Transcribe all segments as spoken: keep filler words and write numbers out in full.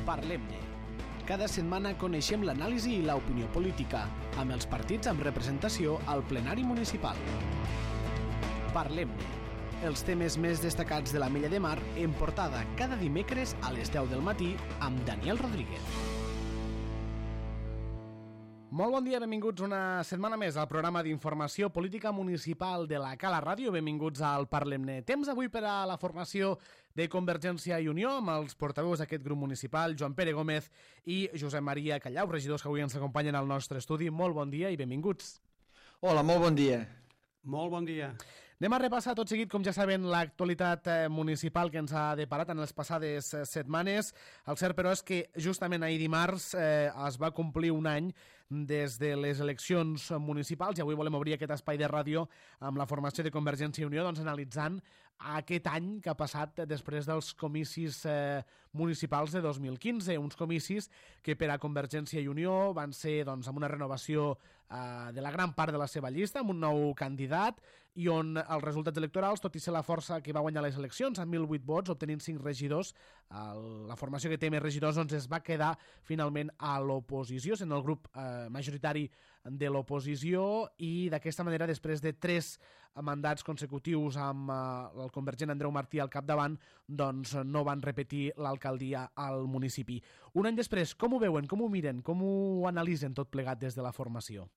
Parlem-ne. Cada setmana coneixem l'anàlisi i l'opinió política, amb els partits amb representació al plenari municipal. Parlem-ne. Els temes més destacats de l'Ametlla de Mar en portada cada dimecres a les deu del matí amb Daniel Rodríguez. Molt bon dia, benvinguts una setmana més al programa d'informació política municipal de la Cala Ràdio. Benvinguts al Parlem-ne. Temps avui per a la formació de Convergència i Unió amb els portaveus d'aquest grup municipal, Joan Pere Gómez i Josep Maria Callau, regidors que avui ens acompanyen al nostre estudi. Molt bon dia i benvinguts. Hola, molt bon dia. Molt bon dia. Anem a repassar tot seguit, com ja saben, l'actualitat municipal que ens ha deparat en les passades setmanes. El cert, però, és que justament ahir dimarts eh, es va complir un any des de les eleccions municipals i avui volem obrir aquest espai de ràdio amb la formació de Convergència i Unió, doncs analitzant aquest any que ha passat després dels comicis eh, municipals de dos mil quinze, uns comicis que per a Convergència i Unió van ser doncs, amb una renovació eh, de la gran part de la seva llista, amb un nou candidat i on els resultats electorals, tot i ser la força que va guanyar les eleccions amb mil vuit vots, obtenint cinc regidors, la formació que té més regidors doncs, es va quedar finalment a l'oposició, sent el grup eh, majoritari de l'oposició, i d'aquesta manera, després de tres mandats consecutius amb eh, el convergent Andreu Martí al capdavant, doncs no van repetir l'alcaldia al municipi. Un any després, com ho veuen, com ho miren, com ho analitzen tot plegat des de la formació?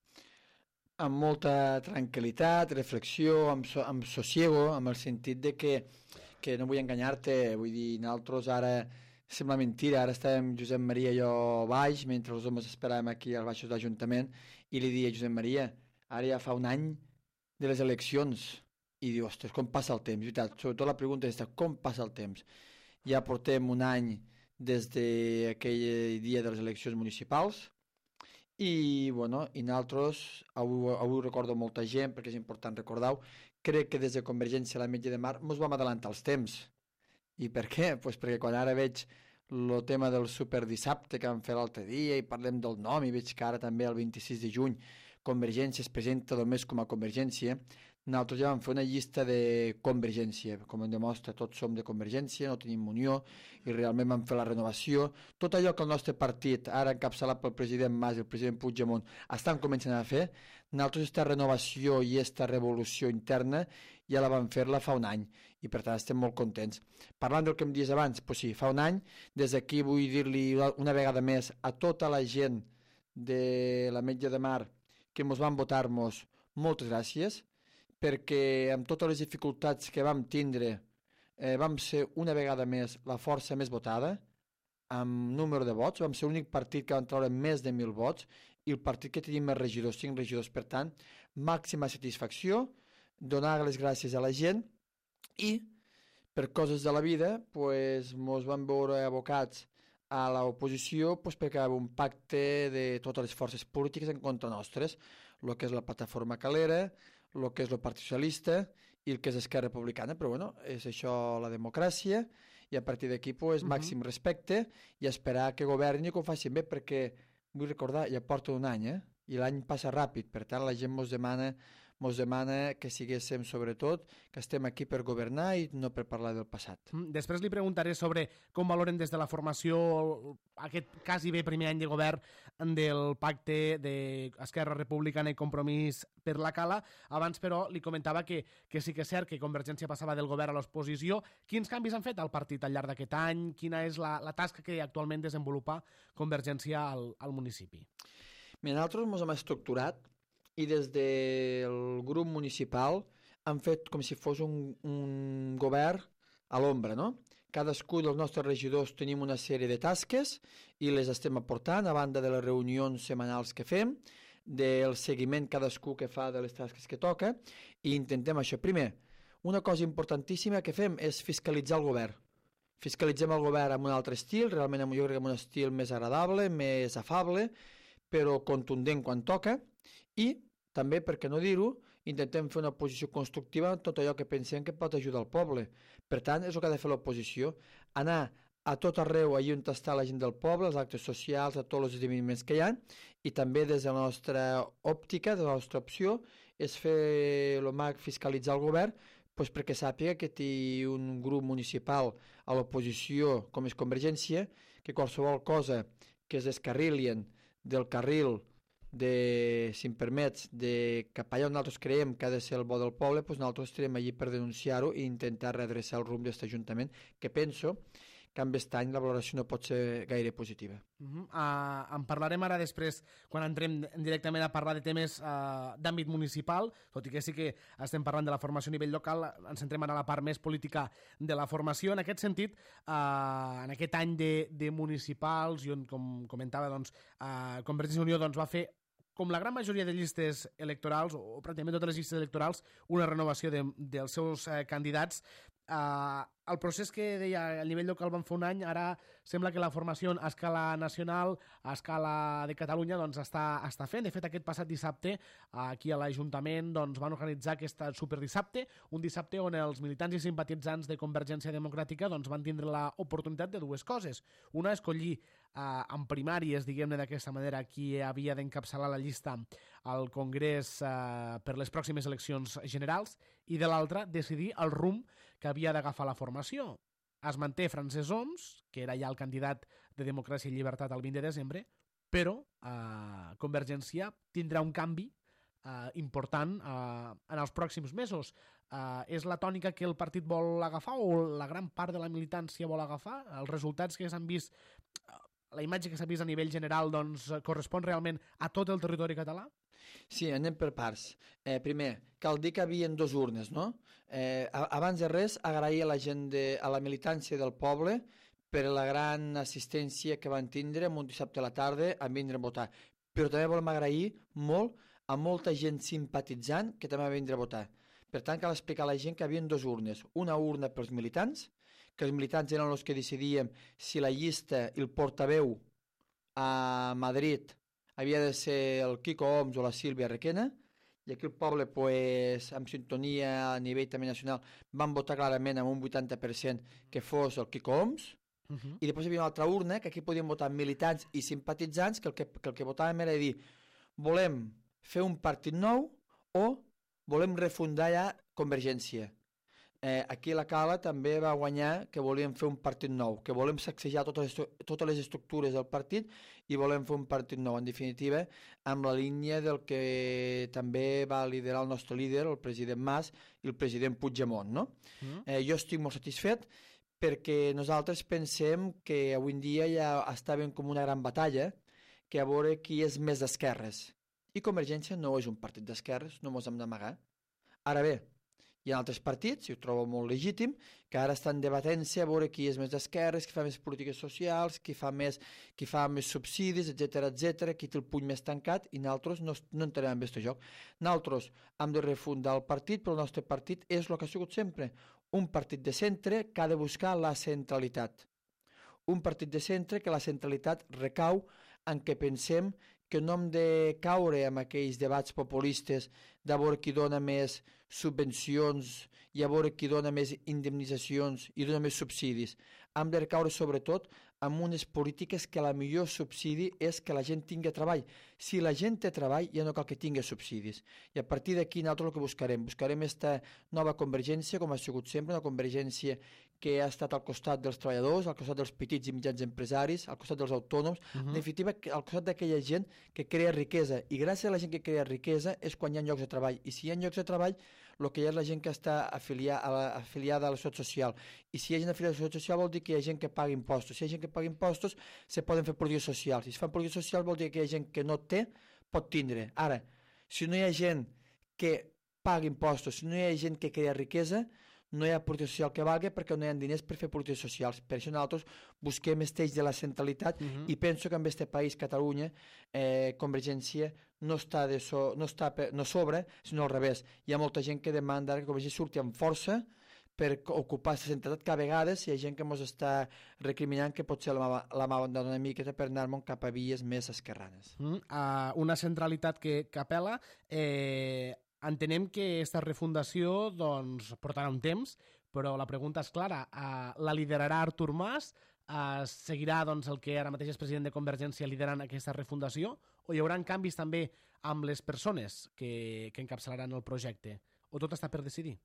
Amb molta tranquil·litat, reflexió, amb, so, amb sosiego, amb el sentit de que, que no vull enganyar-te, vull dir, nosaltres ara sembla mentira, ara estàvem Josep Maria i jo baix, mentre els homes esperàvem aquí als baixos de l'Ajuntament, i li deia a Josep Maria, ara ja fa un any de les eleccions, i diu, ostres, com passa el temps? Veritat, sobretot la pregunta és, com passa el temps? Ja portem un any des d'aquell dia de les eleccions municipals, i, bueno, i nosaltres, avui, avui recordo molta gent, perquè és important recordar-ho, crec que des de Convergència a l'Ametlla de Mar ens vam adelantar els temps. I per què? Pues perquè quan ara veig el tema del superdissabte que vam fer l'altre dia i parlem del nom i veig que ara també el vint-i-sis de juny Convergència es presenta només com a Convergència, nosaltres ja vam fer una llista de Convergència, com em demostra, tots som de Convergència, no tenim unió, i realment vam fer la renovació. Tot allò que el nostre partit, ara encapçalat pel president Mas i el president Puigdemont, estan començant a fer, nosaltres aquesta renovació i aquesta revolució interna ja la vam fer-la fa un any, i per tant estem molt contents. Parlant del que em dius abans, pues sí, fa un any, des d'aquí vull dir-li una vegada més a tota la gent de l'Ametlla de Mar que ens van votar-nos moltes gràcies, perquè amb totes les dificultats que vam tindre eh, vam ser una vegada més la força més votada, amb número de vots, vam ser l'únic partit que van treure més de mil vots, i el partit que tenim més regidors, cinc regidors, per tant, màxima satisfacció, donar les gràcies a la gent, i per coses de la vida, pues, mos vam veure abocats a l'oposició pues, perquè hi havia un pacte de totes les forces polítiques en contra nostres, el que és la plataforma Calera, el que és el Partit Socialista i el que és Esquerra Republicana, però bueno, és això la democràcia, i a partir d'aquí pues, uh-huh. màxim respecte i esperar que governi i que ho facin bé, perquè vull recordar, ja porta un any, eh? I l'any passa ràpid, per tant la gent mos demana, mos demana que siguéssim sobretot, que estem aquí per governar i no per parlar del passat. Després li preguntaré sobre com valoren des de la formació aquest quasi bé primer any de govern del pacte d'Esquerra Republicana i Compromís per la Cala. Abans, però, li comentava que, que sí que és cert que Convergència passava del govern a l'oposició. Quins canvis han fet al partit al llarg d'aquest any? Quina és la, la tasca que actualment desenvolupa Convergència al, al municipi? Mira, nosaltres ens hem estructurat i des del grup municipal han fet com si fos un, un govern a l'ombra, no? Cadascú dels nostres regidors tenim una sèrie de tasques i les estem aportant a banda de les reunions setmanals que fem, del seguiment cadascú que fa de les tasques que toca, i intentem això. Primer, una cosa importantíssima que fem és fiscalitzar el govern. Fiscalitzem el govern amb un altre estil, realment jo crec que amb un estil més agradable, més afable, però contundent quan toca, i també, per què no dir-ho, intentem fer una posició constructiva en tot allò que pensem que pot ajudar el poble. Per tant, és el que ha de fer l'oposició, anar a tot arreu allà on està la gent del poble, els actes socials, a tots els esdeveniments que hi ha, i també des de la nostra òptica, de la nostra opció, és fer el mag fiscalitzar el govern pues perquè sàpiga que té un grup municipal a l'oposició com és Convergència, que qualsevol cosa que es descarrilien del carril de, si em permets, de cap allà on nosaltres creiem que ha de ser el bo del poble, doncs nosaltres estarem allí per denunciar-ho i intentar redreçar el rumb d'aquest Ajuntament, que penso que amb aquest any la valoració no pot ser gaire positiva. Uh -huh. uh, en parlarem ara després, quan entrem directament a parlar de temes uh, d'àmbit municipal, tot i que sí que estem parlant de la formació a nivell local, ens centrem ara a la part més política de la formació. En aquest sentit, uh, en aquest any de, de municipals, i on, com comentava, doncs, uh, Convergència i Unió doncs, va fer, com la gran majoria de llistes electorals, o pràcticament totes les llistes electorals, una renovació de, dels seus eh, candidats. Uh, el procés que deia a nivell local van fer un any, ara sembla que la formació a escala nacional, a escala de Catalunya, doncs està, està fent. De fet, aquest passat dissabte, aquí a l'Ajuntament, doncs, van organitzar aquest superdissabte, un dissabte on els militants i simpatitzants de Convergència Democràtica doncs, van tindre l'oportunitat de dues coses. Una, escollir uh, en primàries, diguem-ne d'aquesta manera, qui havia d'encapçalar la llista al Congrés uh, per les pròximes eleccions generals, i de l'altra, decidir el rumb que havia d'agafar la formació. Es manté Francesc Homs, que era ja el candidat de Democràcia i Llibertat el vint de desembre, però eh, Convergència tindrà un canvi eh, important eh, en els pròxims mesos. Eh, és la tònica que el partit vol agafar o la gran part de la militància vol agafar? Els resultats que s'han vist, la imatge que s'ha vist a nivell general, doncs, correspon realment a tot el territori català? Sí, anem per parts. Eh, primer, cal dir que hi havia dos urnes, no? Eh, abans de res, agrair a la gent, de, a la militància del poble per la gran assistència que van tindre un dissabte a la tarda a vindre a votar. Però també volem agrair molt a molta gent simpatitzant que també va vindre a votar. Per tant, cal explicar a la gent que hi havia dos urnes. Una urna pels militants, que els militants eren els que decidíem si la llista i el portaveu a Madrid havia de ser el Quico Homs o la Sílvia Requena, i aquí el poble, pues, amb sintonia a nivell també nacional, van votar clarament amb un vuitanta per cent que fos el Quico Homs, uh -huh. i després hi havia una altra urna que aquí podien votar militants i simpatitzants, que el que, que el que votàvem era dir, volem fer un partit nou o volem refundar ja Convergència. Eh, aquí a la Cala també va guanyar que volíem fer un partit nou, que volem sacsejar totes, totes les estructures del partit i volem fer un partit nou, en definitiva, amb la línia del que també va liderar el nostre líder, el president Mas i el president Puigdemont, no? Mm. Eh, jo estic molt satisfet perquè nosaltres pensem que avui en dia ja estàvem com una gran batalla, que a veure qui és més d'esquerres. I Convergència no és un partit d'esquerres, no mos hem d'amagar. Ara bé, hi ha altres partits, i ho trobo molt legítim, que ara estan debatent-se a veure qui és més d'esquerres, qui fa més polítiques socials, qui fa més, qui fa més subsidis, etcètera, etcètera, qui té el puny més tancat, i nosaltres no, no entenem en aquest joc. Nosaltres hem de refundar el partit, però el nostre partit és el que ha sigut sempre, un partit de centre que ha de buscar la centralitat. Un partit de centre que la centralitat recau en què pensem que no hem de caure en aquells debats populistes de veure qui dona més subvencions i a veure qui dona més indemnitzacions i dona més subsidis. Hem de recaure sobretot en unes polítiques que la millor subsidi és que la gent tingui treball. Si la gent té treball ja no cal que tingui subsidis. I a partir d'aquí nosaltres el que buscarem, buscarem aquesta nova convergència com ha sigut sempre, una convergència que ha estat al costat dels treballadors, al costat dels petits i mitjans empresaris, al costat dels autònoms, uh -huh. en definitiva al costat d'aquella gent que crea riquesa, i gràcies a la gent que crea riquesa és quan hi ha llocs de treball, i si hi ha llocs de treball el que hi ha és la gent que està afiliada a la, afiliada a la Seguretat Social, i si hi ha gent afiliada a la Seguretat Social vol dir que hi ha gent que paga impostos, si hi ha gent que paga impostos se poden fer polítiques socials, i si fan polítiques socials vol dir que hi ha gent que no té, pot tindre. Ara, si no hi ha gent que paga impostos, si no hi ha gent que crea riquesa, no hi ha política social que valgui perquè no hi ha diners per fer polítiques socials. Per això nosaltres busquem esteix de la centralitat, uh-huh. i penso que en aquest país, Catalunya, eh, Convergència no està, de so, no, està per, no sobre, sinó al revés. Hi ha molta gent que demanda que Convergència surti amb força per ocupar aquesta centralitat, que a vegades hi ha gent que ens està recriminant que potser la, la mà abandona una miqueta per anar-nos cap a vies més esquerranes. Uh, uh, una centralitat que, que apela... Eh... Entenem que aquesta refundació doncs, portarà un temps, però la pregunta és clara. Uh, la liderarà Artur Mas? Uh, seguirà doncs, el que ara mateix és president de Convergència liderant aquesta refundació? O hi haurà canvis també amb les persones que, que encapçalaran el projecte? O tot està per decidir?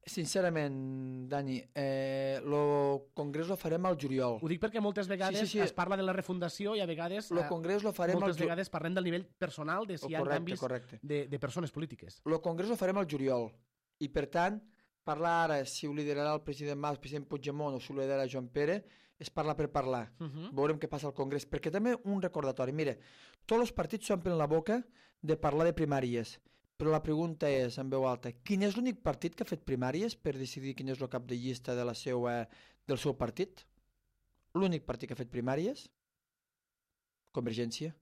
Sincerament, Dani, el eh, congrés lo farem al juliol. Ho dic perquè moltes vegades sí, sí, sí. es parla de la refundació i a vegades lo congrés lo farem moltes al vegades parlem del nivell personal de si hi ha correcte, canvis correcte. De, de persones polítiques. El congrés lo farem al juliol i per tant parlar ara si ho liderarà el president Mas, el president Puigdemont o si ho liderarà Joan Pere és parlar per parlar. Uh -huh. Veurem què passa al congrés, perquè també un recordatori, mira, tots els partits s'omplen la boca de parlar de primàries. Però la pregunta és, en veu alta, quin és l'únic partit que ha fet primàries per decidir quin és el cap de llista de la seva, del seu partit? L'únic partit que ha fet primàries? Convergència.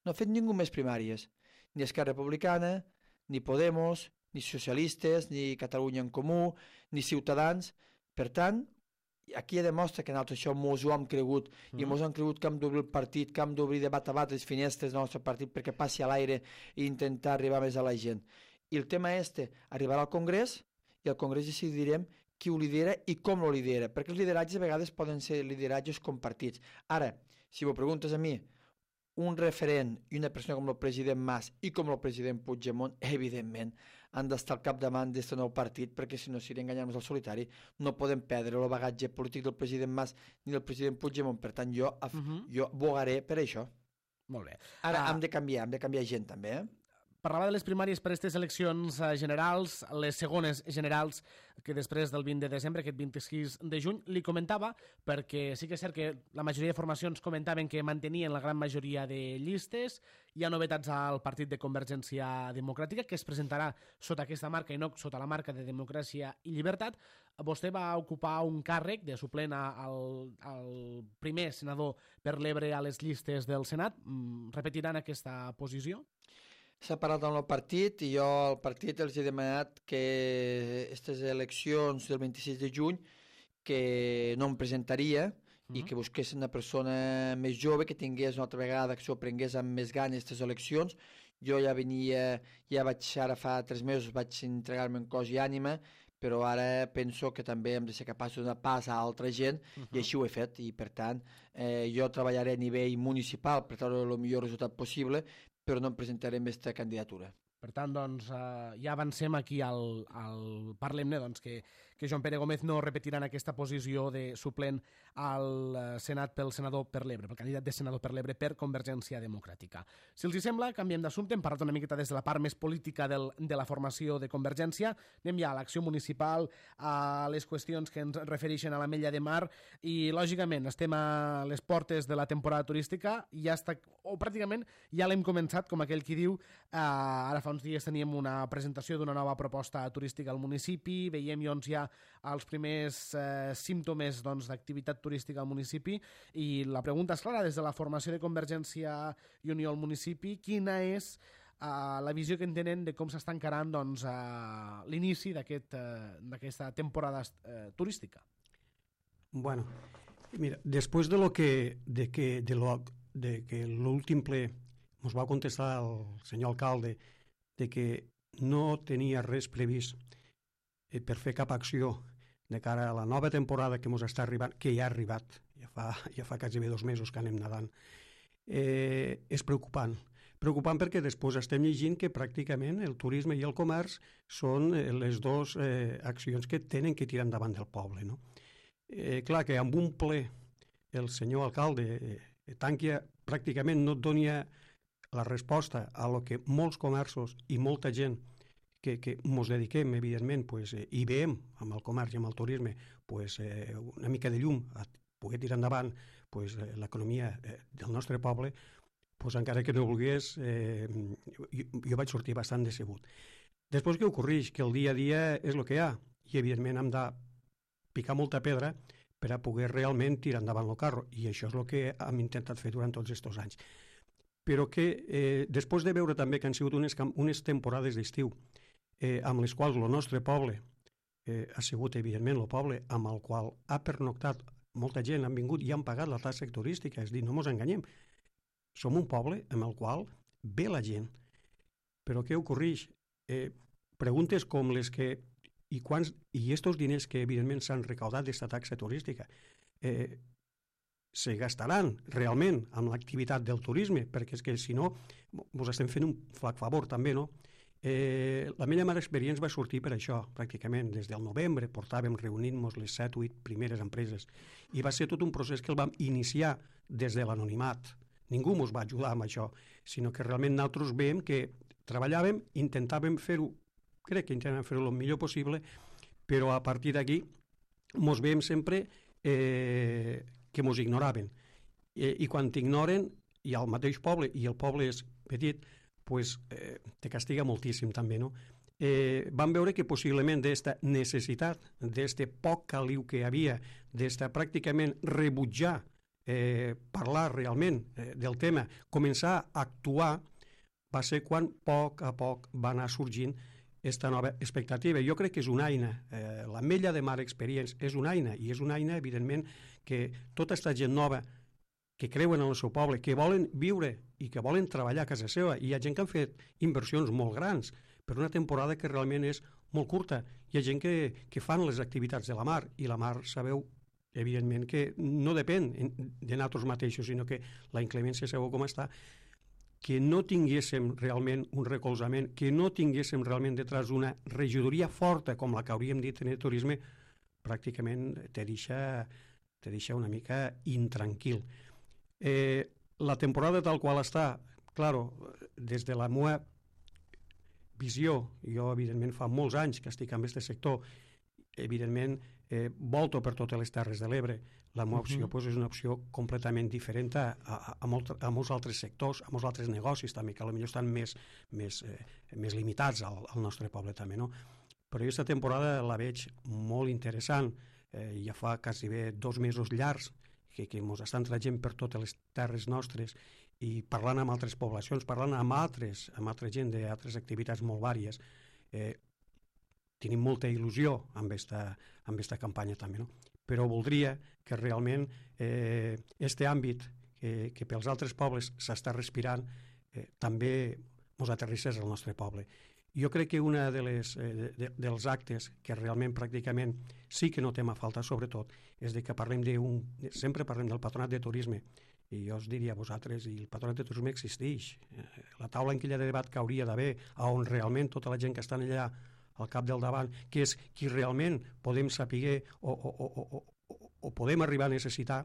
No ha fet ningú més primàries. Ni Esquerra Republicana, ni Podemos, ni Socialistes, ni Catalunya en Comú, ni Ciutadans. Per tant, aquí ja demostra que nosaltres això mos ho hem cregut mm. i mos hem cregut que hem d'obrir el partit, que hem d'obrir de bat a bat les finestres del nostre partit perquè passi a l'aire i intentar arribar més a la gent. I el tema este arribarà al Congrés i al Congrés decidirem qui ho lidera i com lo lidera, perquè els lideratges a vegades poden ser lideratges compartits. Ara, si m'ho preguntes a mi, un referent i una persona com el president Mas i com el president Puigdemont, evidentment, han d'estar al capdavant d'aquest nou partit, perquè si no seria enganyar-nos al solitari. No podem perdre el bagatge polític del president Mas ni del president Puigdemont. Per tant, jo, uh -huh. jo bogaré per això. Molt bé. Ara, uh... hem de canviar, hem de canviar gent, també, eh? Parlava de les primàries per a aquestes eleccions generals, les segones generals, que després del vint de desembre, aquest vint-i-sis de juny, li comentava, perquè sí que és cert que la majoria de formacions comentaven que mantenien la gran majoria de llistes. Hi ha novetats al partit de Convergència Democràtica, que es presentarà sota aquesta marca i no sota la marca de Democràcia i Llibertat. Vostè va ocupar un càrrec de suplent al, al primer senador per l'Ebre a les llistes del Senat. Repetiran aquesta posició? S'ha parlat amb el partit i jo al partit els he demanat que aquestes eleccions del vint-i-sis de juny que no em presentaria uh-huh. i que busquessin una persona més jove que tingués una altra vegada, que s'ho prengués amb més ganes aquestes eleccions. Jo ja venia, ja vaig, ara fa tres mesos vaig entregar-me en cos i ànima, però ara penso que també hem de ser capaços de donar pas a altra gent uh-huh. i així ho he fet i per tant eh, jo treballaré a nivell municipal per treure el millor resultat possible, però no em presentaré amb aquesta candidatura. Per tant, doncs, eh, ja avancem aquí al, al Parlem-ne, doncs, que, que Joan Pere Gómez no repetirà en aquesta posició de suplent al Senat pel senador per l'Ebre, pel candidat de senador per l'Ebre per Convergència Democràtica. Si els hi sembla, canviem d'assumpte, hem parlat una miqueta des de la part més política del, de la formació de Convergència, anem ja a l'acció municipal, a les qüestions que ens refereixen a l'Ametlla de Mar, i lògicament estem a les portes de la temporada turística, i ja està, o pràcticament ja l'hem començat, com aquell qui diu, eh, ara fa uns dies teníem una presentació d'una nova proposta turística al municipi, veiem doncs ja els primers eh, símptomes doncs, d'activitat turística al municipi, i la pregunta és clara, des de la formació de Convergència i Unió al municipi, quina és uh, la visió que en tenen de com s'està encarant doncs, uh, l'inici d'aquesta aquest, uh, temporada uh, turística? Bueno, mira, després de lo que de que de lo de que l'últim ple ens va contestar el senyor alcalde de que no tenia res previst eh, per fer cap acció de cara a la nova temporada que ens està arribant, que ja ha arribat, ja fa, ja fa quasi dos mesos que anem nedant, eh, és preocupant. Preocupant perquè després estem llegint que pràcticament el turisme i el comerç són les dues eh, accions que tenen que tirar endavant del poble. No? Eh, clar que amb un ple el senyor alcalde eh, tanqui, pràcticament no et donia la resposta a lo que molts comerços i molta gent que, que ens dediquem, evidentment, pues, eh, i veiem amb el comerç i amb el turisme pues, eh, una mica de llum a poder tirar endavant pues, eh, l'economia eh, del nostre poble, pues, encara que no volgués, eh, jo, jo vaig sortir bastant decebut. Després què ocorreix? Que el dia a dia és el que hi ha, i evidentment hem de picar molta pedra per a poder realment tirar endavant el carro, i això és el que hem intentat fer durant tots aquests anys. Però que eh, després de veure també que han sigut unes, unes temporades d'estiu eh, amb les quals el nostre poble eh, ha sigut evidentment el poble amb el qual ha pernoctat molta gent, han vingut i han pagat la taxa turística, és a dir, no ens enganyem, som un poble amb el qual ve la gent. Però què ocorreix? Eh, preguntes com les que i quants, i estos diners que evidentment s'han recaudat d'esta taxa turística eh, se gastaran realment amb l'activitat del turisme, perquè és que si no ens estem fent un flac favor també, no? Eh, la meva mala experiència va sortir per això, pràcticament. Des del novembre portàvem reunint-nos les set o vuit primeres empreses i va ser tot un procés que el vam iniciar des de l'anonimat. Ningú ens va ajudar amb això, sinó que realment nosaltres veiem que treballàvem, intentàvem fer-ho, crec que intentàvem fer-ho el millor possible, però a partir d'aquí ens veiem sempre eh, que ens ignoraven. Eh, I quan t'ignoren, i al mateix poble, i el poble és petit, pues, eh, te castiga moltíssim també, no? Eh, vam veure que possiblement d'esta necessitat, d'este poc caliu que hi havia, d'esta pràcticament rebutjar eh, parlar realment eh, del tema, començar a actuar, va ser quan poc a poc va anar sorgint aquesta nova expectativa. Jo crec que és una eina, eh, la Mella de Mar Experience és una eina, i és una eina, evidentment, que tota aquesta gent nova que creuen en el seu poble, que volen viure i que volen treballar a casa seva. Hi ha gent que han fet inversions molt grans per una temporada que realment és molt curta. Hi ha gent que, que fan les activitats de la mar, i la mar sabeu, evidentment, que no depèn de nosaltres mateixos, sinó que la inclemència sabeu com està, que no tinguéssim realment un recolzament, que no tinguéssim realment detrás una regidoria forta com la que hauríem dit en el turisme, pràcticament te deixa, te deixa una mica intranquil. Eh, la temporada tal qual està, claro, des de la meva visió, jo evidentment fa molts anys que estic en aquest sector, evidentment eh, volto per totes les Terres de l'Ebre, la meva opció uh -huh. pues, és una opció completament diferent a, a, a, molt, a molts altres sectors, a molts altres negocis també, que potser estan més, més, eh, més limitats al, al nostre poble també, no? Però jo aquesta temporada la veig molt interessant, eh, ja fa quasi bé dos mesos llargs que, que ens estan trajant per totes les terres nostres i parlant amb altres poblacions, parlant amb altres, amb altra gent d'altres activitats molt vàries. Eh, tenim molta il·lusió amb aquesta amb esta campanya també, no? Però voldria que realment eh, este àmbit que, que pels altres pobles s'està respirant eh, també ens aterrissés al nostre poble. Jo crec que una de les, eh, de, dels actes que realment pràcticament sí que notem a falta, sobretot, és de que parlem d'un... Sempre parlem del patronat de turisme, i jo us diria a vosaltres, i el patronat de turisme existeix. Eh, la taula en aquella de debat que hauria d'haver, on realment tota la gent que està allà al cap del davant, que és qui realment podem saber o, o, o, o, o podem arribar a necessitar,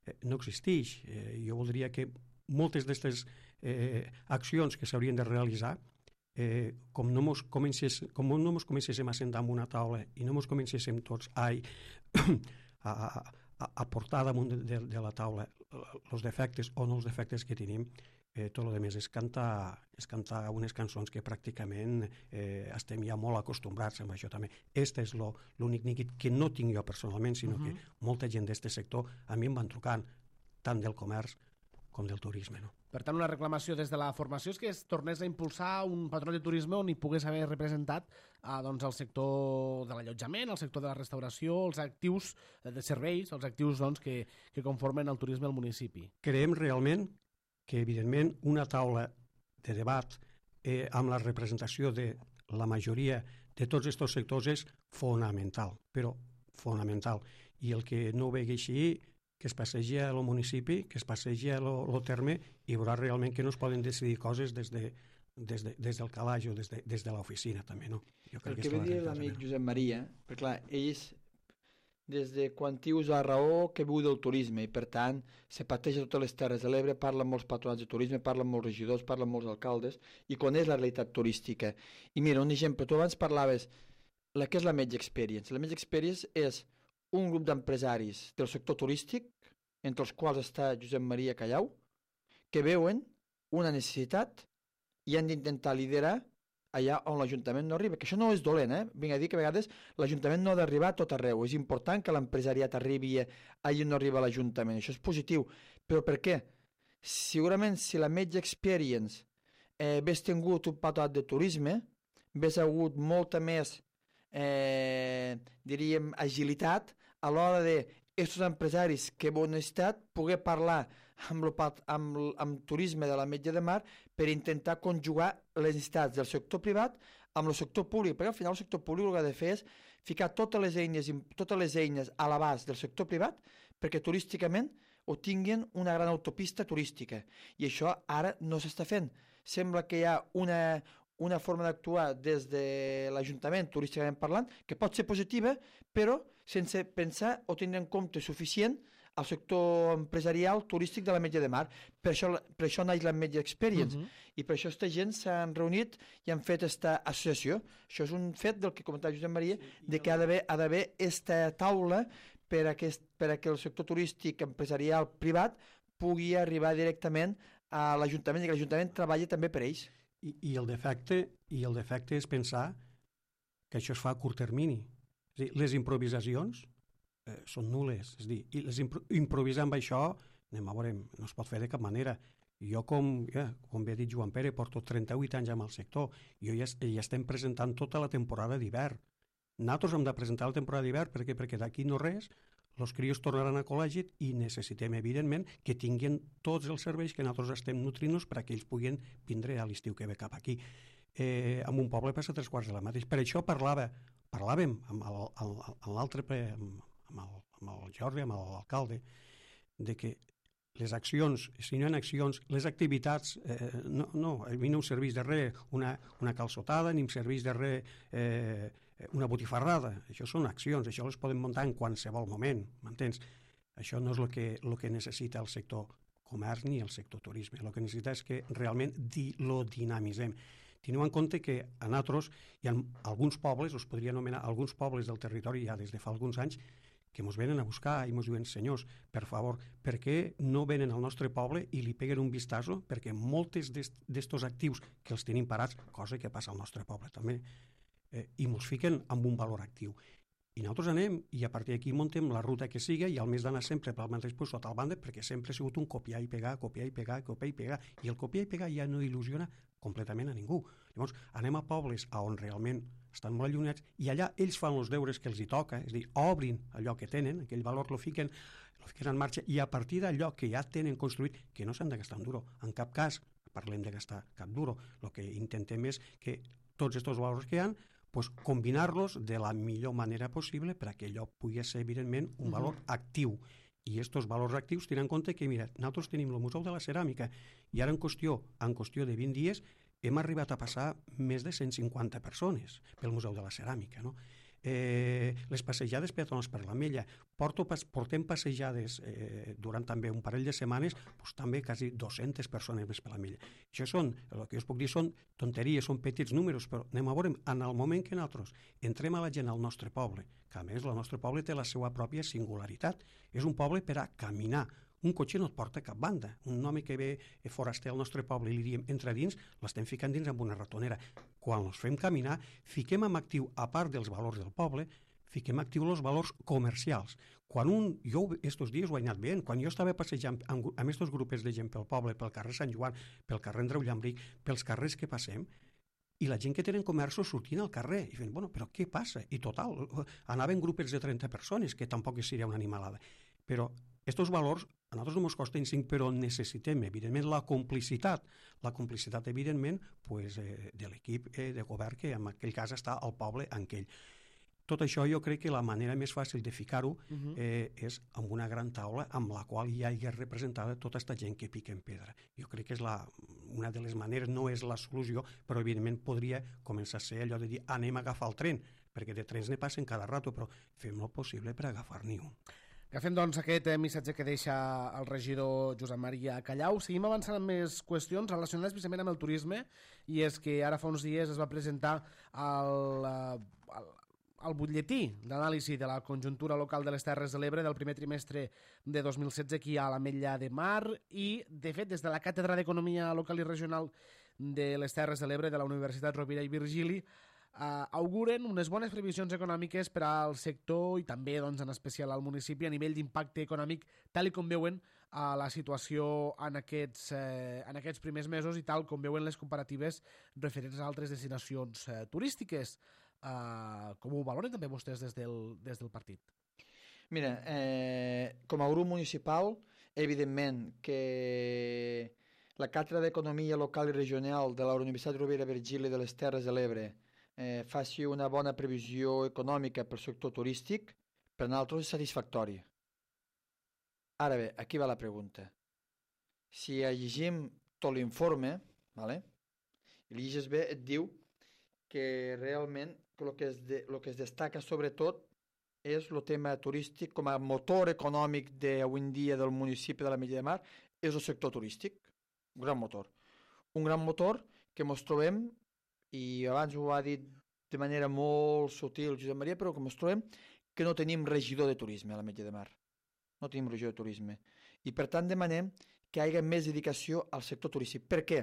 eh, no existeix. Eh, jo voldria que moltes d'aquestes eh, accions que s'haurien de realitzar, eh, com no mos comencés, com no mos comencéssim a sentar en una taula i no mos comencéssim tots ai, a, a, a portar damunt de, de, de la taula els defectes o no els defectes que tenim, eh, tot el més és cantar, és cantar unes cançons que pràcticament eh, estem ja molt acostumbrats amb això també. Este és l'únic neguit que no tinc jo personalment, sinó uh -huh. que molta gent d'aquest sector a mi em van trucant, tant del comerç com del turisme, no? Per tant, una reclamació des de la formació és que es tornés a impulsar un patronat de turisme on hi pogués haver representat eh, doncs, el sector de l'allotjament, el sector de la restauració, els actius de serveis, els actius doncs, que, que conformen el turisme al municipi. Creiem realment que, evidentment, una taula de debat eh, amb la representació de la majoria de tots aquests sectors és fonamental, però fonamental. I el que no ho vegi així, que es passegi al municipi, que es passegi al terme i veurà realment que no es poden decidir coses des, de, des, de, des del calaix o des de, des de l'oficina també, no? Jo crec el que, que ve dir l'amic Josep Maria, perquè clar, ells des de quan tius a raó que viu del turisme i per tant se pateix a totes les Terres de l'Ebre, parla amb molts patronats de turisme, parla amb molts regidors, parla amb molts alcaldes i coneix la realitat turística. I mira, un exemple, tu abans parlaves la que és la Medge Experience. La Medge Experience és un grup d'empresaris del sector turístic, entre els quals està Josep Maria Callau, que veuen una necessitat i han d'intentar liderar allà on l'Ajuntament no arriba, que això no és dolent, eh? Vinc a dir que a vegades l'Ajuntament no ha d'arribar a tot arreu, és important que l'empresariat arribi allà on no arriba l'Ajuntament, això és positiu, però per què? Segurament si la Medge Experience eh, hagués tingut un patronat de turisme, hagués hagut molta més, eh, diríem, agilitat a l'hora de aquests empresaris que bon estat poder parlar amb, lo, amb, amb turisme de la Metge de Mar per intentar conjugar les necessitats del sector privat amb el sector públic, perquè al final el sector públic el que ha de fer és ficar totes les eines, totes les eines a l'abast del sector privat perquè turísticament ho tinguin una gran autopista turística i això ara no s'està fent. Sembla que hi ha una, una forma d'actuar des de l'Ajuntament, turísticament parlant, que pot ser positiva, però sense pensar o tenir en compte suficient al sector empresarial turístic de la Metlla de Mar. Per això, per això naix la Metlla Experience. Uh -huh. I per això aquesta gent s'han reunit i han fet aquesta associació. Això és un fet del que comentava Josep Maria, sí, de que ha d'haver ha d'haver aquesta taula per a, aquest, per a que el sector turístic empresarial privat pugui arribar directament a l'Ajuntament i que l'Ajuntament treballi també per ells. I, i, el defecte, I el defecte és pensar que això es fa a curt termini. És a dir, les improvisacions eh, són nules. És a dir, i les impro improvisar amb això, anem a veure, no es pot fer de cap manera. Jo, com, ja, com bé ha dit Joan Pere, porto trenta-vuit anys amb el sector. Jo ja, ja estem presentant tota la temporada d'hivern. Nosaltres hem de presentar la temporada d'hivern perquè, perquè d'aquí no res, els crios tornaran a col·legi i necessitem, evidentment, que tinguin tots els serveis que nosaltres estem nutrint-nos perquè ells puguin vindre a l'estiu que ve cap aquí. Eh, en un poble passa tres quarts de la mateixa. Per això parlava, parlàvem amb l'altre, amb, amb, el, amb el Jordi, amb l'alcalde, de que les accions, si no hi ha accions, les activitats, eh, no, no, a mi no em serveix de res una, una calçotada, ni em serveix de res eh, una botifarrada. Això són accions, això les podem muntar en qualsevol moment, m'entens? Això no és el que, el que necessita el sector comerç ni el sector turisme. El que necessita és que realment di, lo dinamitzem. Teniu en compte que a nosaltres hi ha alguns pobles, us podria anomenar alguns pobles del territori ja des de fa alguns anys, que ens venen a buscar i ens diuen, senyors, per favor, per què no venen al nostre poble i li peguen un vistazo? Perquè moltes d'estos actius que els tenim parats, cosa que passa al nostre poble també, eh, i ens fiquen amb un valor actiu. I nosaltres anem i a partir d'aquí muntem la ruta que siga i al més d'anar sempre pel mateix lloc sota el banda perquè sempre ha sigut un copiar i pegar, copiar i pegar, copiar i pegar. I el copiar i pegar ja no il·lusiona completament a ningú. Llavors, anem a pobles on realment estan molt allunyats i allà ells fan els deures que els hi toca, és a dir, obrin allò que tenen, aquell valor lo fiquen, lo fiquen en marxa i a partir d'allò que ja tenen construït, que no s'han de gastar en duro, en cap cas parlem de gastar cap duro, el que intentem és que tots aquests valors que hi ha, pues, combinar-los de la millor manera possible perquè allò pugui ser, evidentment, un valor uh-huh. actiu. I aquests valors actius tenen en compte que, mira, nosaltres tenim el Museu de la Ceràmica i ara en qüestió, en qüestió de vint dies hem arribat a passar més de cent cinquanta persones pel Museu de la Ceràmica, no? Eh, les passejades peatonals per la Mella, Porto, portem passejades eh, durant també un parell de setmanes, doncs també quasi dues-centes persones més per la Mella. Això són, el que us puc dir són tonteries, són petits números, però anem a veure, en el moment que nosaltres entrem a la gent al nostre poble, que a més el nostre poble té la seva pròpia singularitat, és un poble per a caminar. Un cotxe no et porta a cap banda. Un home que ve foraster al nostre poble i li diem entra dins, l'estem ficant dins amb una ratonera. Quan els fem caminar, fiquem en actiu, a part dels valors del poble, fiquem actiu els valors comercials. Quan un, jo estos dies ho he anat veient, quan jo estava passejant amb, amb estos grupets de gent pel poble, pel carrer Sant Joan, pel carrer Andreu Llambric, pels carrers que passem, i la gent que tenen comerços sortint al carrer i fent, bueno, però què passa? I total, anaven grupets de trenta persones, que tampoc seria una animalada. Però aquests valors a nosaltres no ens costen cinc, però necessitem, evidentment, la complicitat. La complicitat, evidentment, pues, eh, de l'equip eh, de govern que en aquell cas està al poble en aquell. Tot això jo crec que la manera més fàcil de ficar-ho uh-huh. eh, és amb una gran taula amb la qual ja hi ha representada tota aquesta gent que pica en pedra. Jo crec que és la, una de les maneres, no és la solució, però evidentment podria començar a ser allò de dir anem a agafar el tren, perquè de trens ne passen cada rato, però fem el possible per agafar-n'hi un. Agafem, doncs, aquest eh, missatge que deixa el regidor Josep Maria Callau. Seguim avançant amb més qüestions relacionades precisament amb el turisme, i és que ara fa uns dies es va presentar el, el, el butlletí d'anàlisi de la conjuntura local de les Terres de l'Ebre del primer trimestre de dos mil setze aquí a l'Ametlla de Mar, i, de fet, des de la Càtedra d'Economia Local i Regional de les Terres de l'Ebre de la Universitat Rovira i Virgili Uh, auguren unes bones previsions econòmiques per al sector i també, doncs, en especial al municipi a nivell d'impacte econòmic, tal i com veuen uh, la situació en aquests, uh, en aquests primers mesos i tal com veuen les comparatives referents a altres destinacions uh, turístiques. Uh, com ho valoren també vostès des del, des del partit? Mira, eh, com a grup municipal, evidentment que la Càtedra d'Economia Local i Regional de la Universitat Rovira i Virgili de les Terres de l'Ebre Eh, faci una bona previsió econòmica pel sector turístic, per nosaltres és satisfactori. Ara bé, aquí va la pregunta. Si llegim tot l'informe, vale? I l'I G S B et diu que realment el que es, de, lo que es destaca sobretot és el tema turístic com a motor econòmic d'avui en dia del municipi de l'Ametlla de Mar, és el sector turístic, un gran motor. Un gran motor que ens trobem, i abans ho ha dit de manera molt sutil Josep Maria, però que ens trobem que no tenim regidor de turisme a l'Ametlla de Mar. No tenim regidor de turisme. I per tant demanem que hi hagi més dedicació al sector turístic. Per què?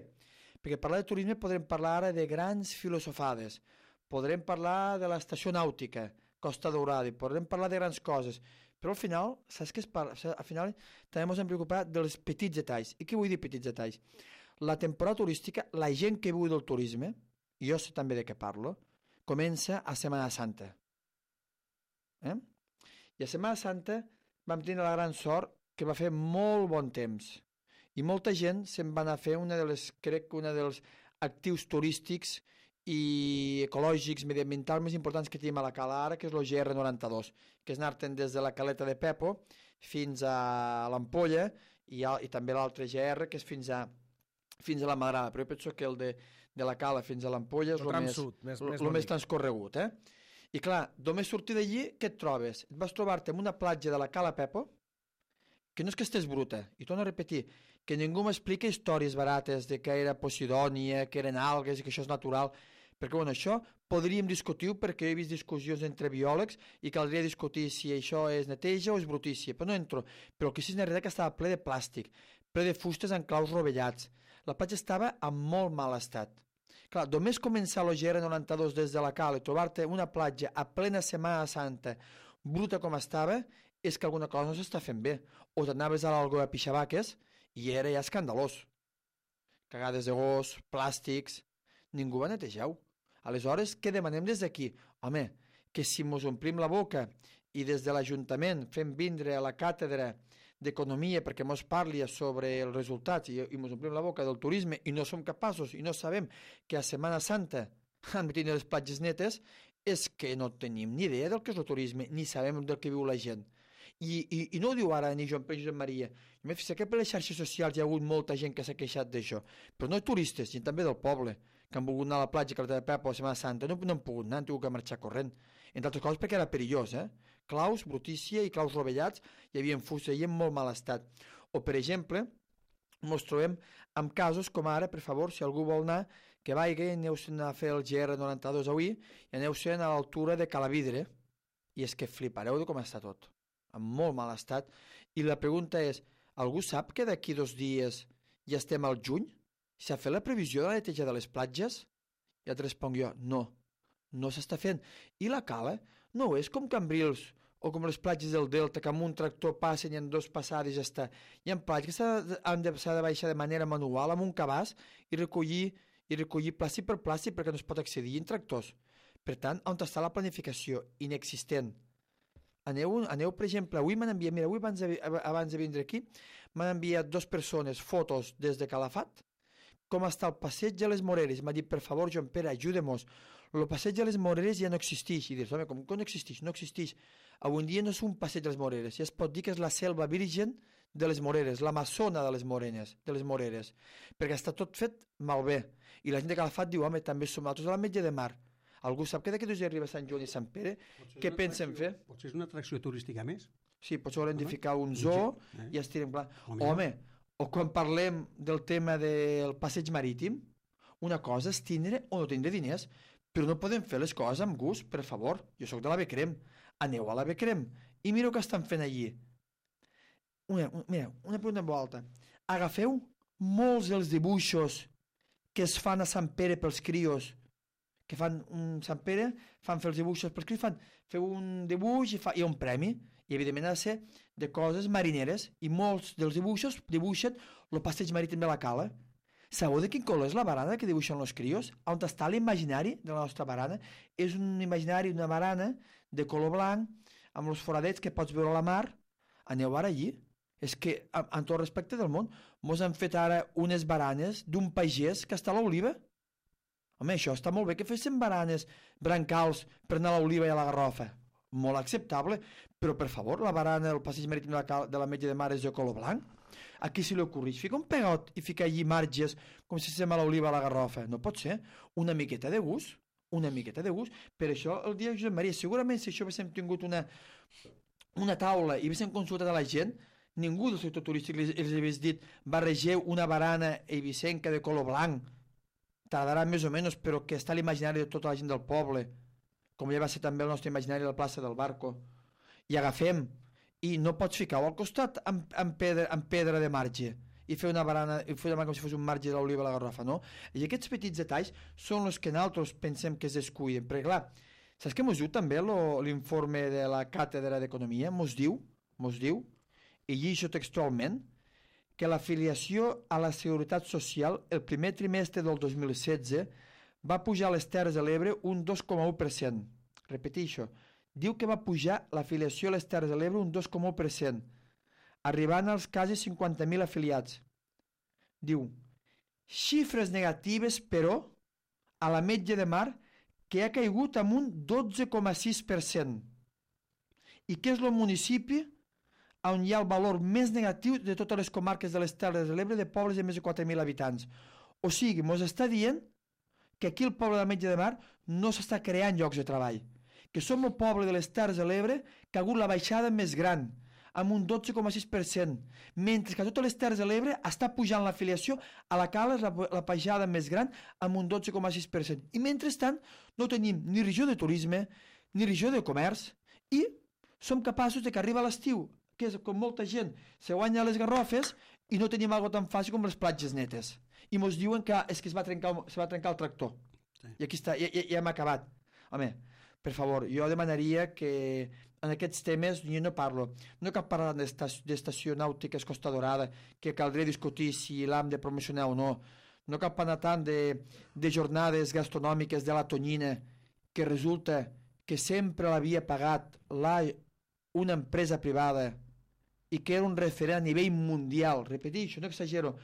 Perquè parlar de turisme podrem parlar ara de grans filosofades, podrem parlar de l'estació nàutica, Costa Daurada, i podrem parlar de grans coses, però al final, saps què es parla? Al final també ens hem preocupat dels petits detalls. I què vull dir petits detalls? La temporada turística, la gent que viu del turisme, i jo sé també de què parlo, comença a Setmana Santa. Eh? I a Setmana Santa vam tenir la gran sort que va fer molt bon temps. I molta gent se'n va anar a fer una de les, crec que una dels actius turístics i ecològics, mediambientals més importants que tenim a la cala ara, que és el G R noranta-dos, que és anar-te'n des de la caleta de Pepo fins a l'Ampolla i, i també l'altre G R, que és fins a, fins a la Madrada, però jo penso que el de, de la cala fins a l'Ampolla és el més, sud, més, lo, més, lo més transcorregut. Eh? I clar, només sortir d'allí, què et trobes? Et vas trobar-te en una platja de la cala Pepo, que no és que estés bruta, i torno a repetir, que ningú m'explica històries barates de que era Posidònia, que eren algues i que això és natural, perquè bueno, això podríem discutir perquè he vist discussions entre biòlegs i caldria discutir si això és neteja o és brutícia, però no entro. Però el que sí és veritat que estava ple de plàstic, ple de fustes en claus rovellats. La platja estava en molt mal estat. Clar, només començar l'O G R noranta-dos des de la cala i trobar-te una platja a plena Setmana Santa, bruta com estava, és que alguna cosa no s'està fent bé. O t'anaves a l'Algor a pixabaques i era ja escandalós. Cagades de gos, plàstics, ningú va netejar-ho. Aleshores, què demanem des d'aquí? Home, que si mos omplim la boca i des de l'Ajuntament fem vindre a la càtedra d'Economia perquè mos parli sobre els resultats i, i mos omplim la boca del turisme i no som capaços i no sabem que a Setmana Santa han de tenir les platges netes, és que no tenim ni idea del que és el turisme, ni sabem del que viu la gent. I, i, i no ho diu ara ni Joan Pere Josep Maria. Jo m'he fixat que per les xarxes socials hi ha hagut molta gent que s'ha queixat d'això, però no turistes, gent també del poble, que han volgut anar a la platja que de Pepa o a Setmana Santa, no, no han pogut anar, han tingut que marxar corrent. Entre altres coses perquè era perillós, eh? Claus, brutícia i claus rovellats, hi havia fustes i en molt mal estat. O, per exemple, ens trobem amb casos com ara, per favor, si algú vol anar, que vagi, aneu-se'n a fer el G R noranta-dos avui i aneu-se'n a l'altura de Calavidre, i és que flipareu de com està tot, en molt mal estat. I la pregunta és, algú sap que d'aquí dos dies ja estem al juny? S'ha fet la previsió de la neteja de les platges? I et responc jo, no, no s'està fent. I la cala no és com Cambrils o com les platges del Delta, que amb un tractor passen i en dos passades ja està. Hi ha platges que s'ha de, de baixar de manera manual amb un cabàs i recollir, i recollir plàstic per plàstic perquè no es pot accedir en tractors. Per tant, on està la planificació? Inexistent. Aneu, aneu, per exemple, avui m'han enviat, mira, avui abans de, abans de vindre aquí, m'han enviat dos persones fotos des de Calafat, com està el passeig de les Moreres. M'ha dit, per favor, Joan Pere, ajudem-nos. El passeig de les Moreres ja no existeix. I dius, home, com que no existeix? No existeix. Avui dia no és un passeig de les Moreres, ja es pot dir que és la selva virgen de les Moreres, l'Amazona de les Morenes, de les Moreres, perquè està tot fet malbé. I la gent de Calafat diu, home, també som nosaltres a l'Ametlla de Mar. Algú sap que d'aquí dos dies arriba Sant Joan i Sant Pere? Què pensen fer? Potser és una atracció turística més? Sí, potser volen edificar un zoo eh? i estirem clar. Home, o quan parlem del tema del passeig marítim, una cosa és tindre o no tindre diners, però no podem fer les coses amb gust, per favor. Jo sóc de la Becrem. Aneu a la Becrem i mireu què estan fent allí. Una, una, mira, una pregunta en volta. Agafeu molts dels dibuixos que es fan a Sant Pere pels crios, que fan un Sant Pere, fan fer els dibuixos pels crios, fan, feu un dibuix i fa, hi ha un premi, i evidentment ha de ser de coses marineres, i molts dels dibuixos dibuixen el passeig marítim de la cala. Sabeu de quin color és la barana que dibuixen els crios? On està l'imaginari de la nostra barana? És un imaginari, una barana de color blanc, amb els foradets que pots veure a la mar. Aneu ara allí. És que, amb tot respecte del món, mos han fet ara unes baranes d'un pagès que està a l'Oliva. Home, això està molt bé que fessin baranes, brancals, per anar a l'Oliva i a la Garrofa. molt acceptable, però per favor, la barana del passeig marítim de la, de la Metge de Mar és de color blanc. A qui se li ocorreix? Fica un pegot i fica allí marges com si sembla l'oliva a la garrofa. No pot ser. Una miqueta de gust, una miqueta de gust. Per això el dia de Josep Maria, segurament si això haguéssim tingut una, una taula i haguéssim consultat a la gent, ningú del sector turístic els, els hagués dit barregeu una barana eivissenca de color blanc. Tardarà més o menys, però que està a l'imaginari de tota la gent del poble, com ja va ser també el nostre imaginari de la plaça del Barco. I agafem, i no pots ficar-ho al costat amb, amb, pedra, amb pedra de marge i fer una barana, i fer una barana com si fos un marge de l'oliva a la garrafa, no? I aquests petits detalls són els que nosaltres pensem que es descuiden, perquè clar, saps què mos diu també l'informe de la Càtedra d'Economia? Mos diu, mos diu, i llegeixo textualment, que l'afiliació a la Seguretat Social el primer trimestre del dos mil setze va pujar a les Terres de l'Ebre un dos coma u per cent. Repeteixo, diu que va pujar l'afiliació a les Terres de l'Ebre un dos coma u per cent, arribant als quasi cinquanta mil afiliats. Diu, xifres negatives, però, a la Metge de Mar, que ha caigut amb un dotze coma sis per cent, i que és el municipi on hi ha el valor més negatiu de totes les comarques de les Terres de l'Ebre de pobles de més de quatre mil habitants. O sigui, mos està dient que aquí el poble de la Metge de Mar no s'està creant llocs de treball, que som el poble de les Terres de l'Ebre que ha hagut la baixada més gran, amb un dotze coma sis per cent, mentre que a totes les Terres de l'Ebre està pujant l'afiliació a la Cala la, la baixada més gran amb un dotze coma sis per cent. I mentrestant no tenim ni regió de turisme, ni regió de comerç, i som capaços de que arriba l'estiu, que és com molta gent se guanya les garrofes i no tenim algo tan fàcil com les platges netes. I mos diuen que és que es va trencar, se va trencar el tractor. Sí. I aquí està, ja, ja, ja hem acabat. Home, per favor, jo demanaria que en aquests temes jo no parlo. No cal parlar d'estació nàutica Costa Dorada, que caldria discutir si l'hem de promocionar o no. No cal parlar tant de, de jornades gastronòmiques de la Tonyina, que resulta que sempre l'havia pagat la, una empresa privada i que era un referent a nivell mundial. Repeteixo, no exagero,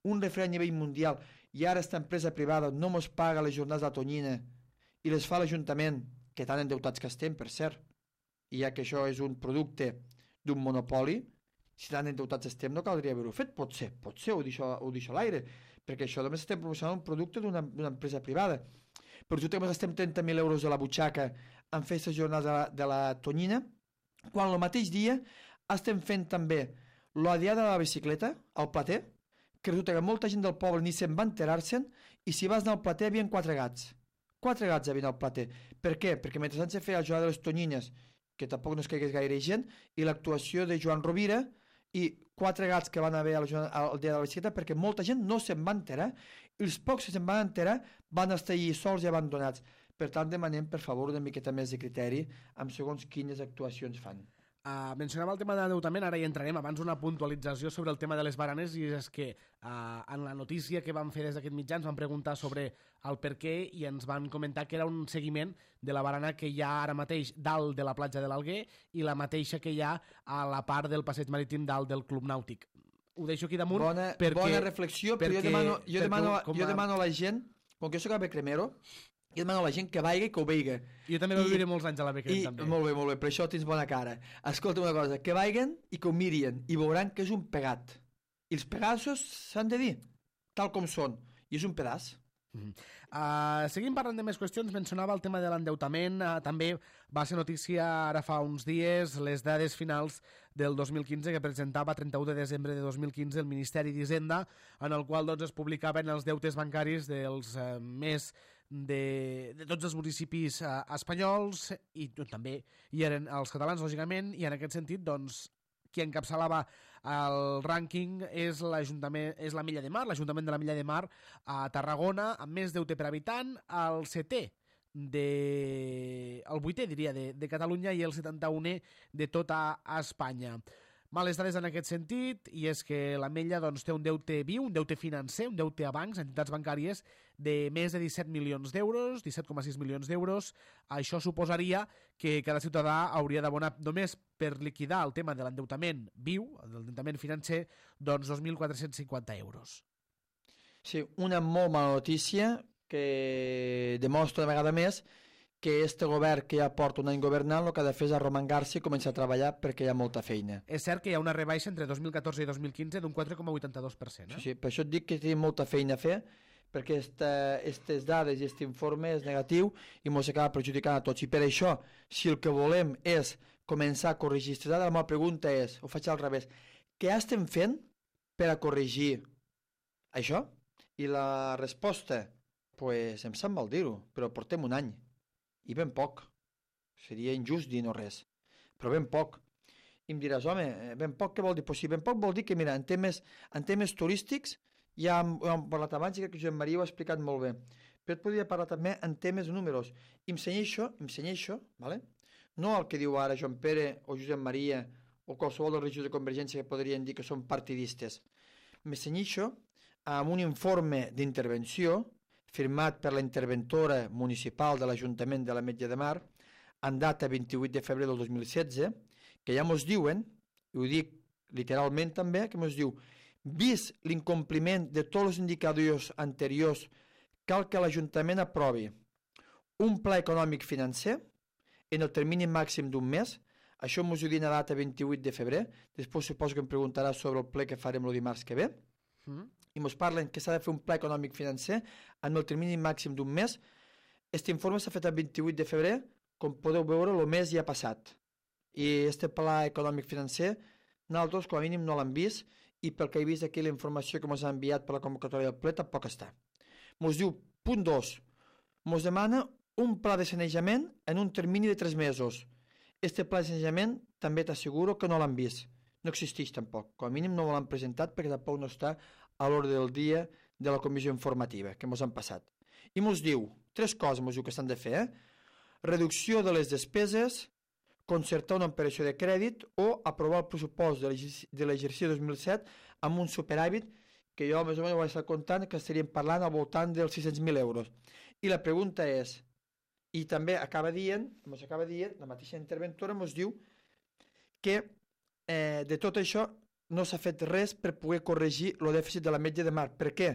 un referent a nivell mundial, i ara aquesta empresa privada no mos paga les jornades de la Tonyina i les fa l'Ajuntament, que tan endeutats que estem, per cert, i ja que això és un producte d'un monopoli, si tan endeutats estem no caldria haver-ho fet. Pot ser, pot ser, ho deixo, ho deixo a l'aire, perquè això només estem promocionant un producte d'una empresa privada. Però tu també estem trenta mil euros de la butxaca en fer aquestes jornades de la, de la Tonyina, quan el mateix dia estem fent també la diada de la bicicleta al Plater, que resulta que molta gent del poble ni se'n va enterar-se'n, i si vas anar al Plater hi havia quatre gats. Quatre gats havien al Plater. Per què? Perquè mentre se feia la jornada de les Tonyines, que tampoc no es caigués gaire gent, i l'actuació de Joan Rovira, i quatre gats que van haver al dia de la bicicleta, perquè molta gent no se'n va enterar, i els pocs que se'n van enterar van estar allí sols i abandonats. Per tant, demanem, per favor, una miqueta més de criteri amb segons quines actuacions fan. Uh, mencionava el tema de l'endeutament, ara hi entrarem. Abans una puntualització sobre el tema de les baranes, i és que uh, en la notícia que vam fer des d'aquest mitjà ens van preguntar sobre el per què i ens van comentar que era un seguiment de la barana que hi ha ara mateix dalt de la platja de l'Alguer i la mateixa que hi ha a la part del passeig marítim dalt del Club Nàutic. Ho deixo aquí damunt. Bona, perquè, bona reflexió, però perquè, jo demano, jo, perquè, demano, a... jo demano a la gent, com que jo soc a Becremero, jo demano a la gent que vaiga i que ho veiga. Jo també va viure molts anys a la Becrem, també. Molt bé, molt bé, per això tens bona cara. Escolta una cosa, que vaiguen i que ho mirin i veuran que és un pegat. I els pegassos s'han de dir, tal com són, i és un pedaç. Mm. Uh, seguim parlant de més qüestions. Mencionava el tema de l'endeutament. Uh, també va ser notícia ara fa uns dies les dades finals del dos mil quinze que presentava trenta-u de desembre de dos mil quinze el Ministeri d'Hisenda, en el qual doncs, es publicaven els deutes bancaris dels uh, més de, de tots els municipis uh, espanyols, i també hi eren els catalans, lògicament, i en aquest sentit doncs, qui encapçalava el rànquing és l'Ajuntament, és la Milla de Mar, l'Ajuntament de la Milla de Mar a Tarragona, amb més deute per habitant, el setè, de, el vuitè, diria, de, de Catalunya, i el setanta-unè de tota Espanya. Males dades en aquest sentit, i és que la Mella doncs, té un deute viu, un deute financer, un deute a bancs, a entitats bancàries, de més de disset milions d'euros, disset coma sis milions d'euros. Això suposaria que cada ciutadà hauria d'abonar només per liquidar el tema de l'endeutament viu, l'endeutament financer, doncs dos mil quatre-cents cinquanta euros. Sí, una molt mala notícia que demostra una vegada més que este govern que ja porta un any governant el que ha de fer és arromangar-se i començar a treballar perquè hi ha molta feina. És cert que hi ha una rebaixa entre dos mil catorze i dos mil quinze d'un quatre coma vuitanta-dos per cent. Eh? Sí, sí, per això et dic que tenim molta feina a fer, perquè aquestes dades i aquest informe és negatiu i ens acaba perjudicant a tots. I per això, si el que volem és començar a corregir aquestes dades, la meva pregunta és, ho faig al revés, què estem fent per a corregir això? I la resposta, pues, em sap mal dir-ho, però portem un any. I ben poc. Seria injust dir no res. Però ben poc. I em diràs, home, ben poc què vol dir? Pues sí, ben poc vol dir que, mira, en temes, en temes turístics ja hem, hem parlat abans i crec que Josep Maria ho ha explicat molt bé. Però et podria parlar també en temes números. I em senyeixo, em senyeixo, ¿vale? No el que diu ara Joan Pere o Josep Maria o qualsevol dels regidors de Convergència que podrien dir que són partidistes. Me senyeixo amb un informe d'intervenció firmat per la interventora municipal de l'Ajuntament de l'Ametlla de Mar en data vint-i-vuit de febrer del dos mil setze, que ja mos diuen, i ho dic literalment també, que mos diu, vist l'incompliment de tots els indicadors anteriors, cal que l'Ajuntament aprovi un pla econòmic financer en el termini màxim d'un mes. Això mos ho diuen a data vint-i-vuit de febrer, després suposo que em preguntarà sobre el ple que farem el dimarts que ve, mm. i ens parlen que s'ha de fer un pla econòmic financer en el termini màxim d'un mes. Aquest informe s'ha fet el vint-i-vuit de febrer, com podeu veure, el mes ja ha passat. I aquest pla econòmic financer, nosaltres com a mínim no l'hem vist, i pel que he vist aquí la informació que ens ha enviat per la convocatòria del ple tampoc està. Ens diu, punt dos, ens demana un pla de sanejament en un termini de tres mesos. Este pla de sanejament també t'asseguro que no l'han vist. No existeix tampoc. Com a mínim no l'han presentat perquè tampoc no està a l'ordre del dia de la comissió informativa que ens han passat. I ens diu, tres coses ens diu que s'han de fer, eh? Reducció de les despeses, concertar una operació de crèdit o aprovar el pressupost de l'exercici dos mil set amb un superàvit que jo més o menys ho vaig estar comptant que estaríem parlant al voltant dels sis-cents mil euros. I la pregunta és, i també acaba dient, ens acaba dient, la mateixa interventora ens diu que eh, de tot això no s'ha fet res per poder corregir el dèficit de l'Ametlla de Mar. Per què?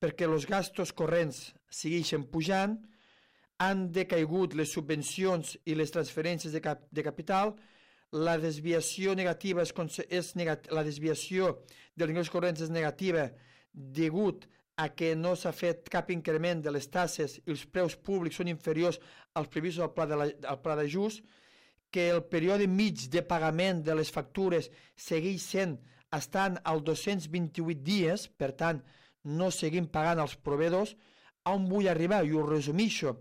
Perquè els gastos corrents segueixen pujant, han decaigut les subvencions i les transferències de, cap, de capital, la desviació negativa és, és negat, la desviació dels ingressos corrents és negativa degut a que no s'ha fet cap increment de les taxes i els preus públics són inferiors als previstos al pla de la, al pla d'ajust, que el període mig de pagament de les factures segueix sent estan als dos-cents vint-i-vuit dies, per tant, no seguim pagant als proveïdors. On vull arribar? I ho resumixo.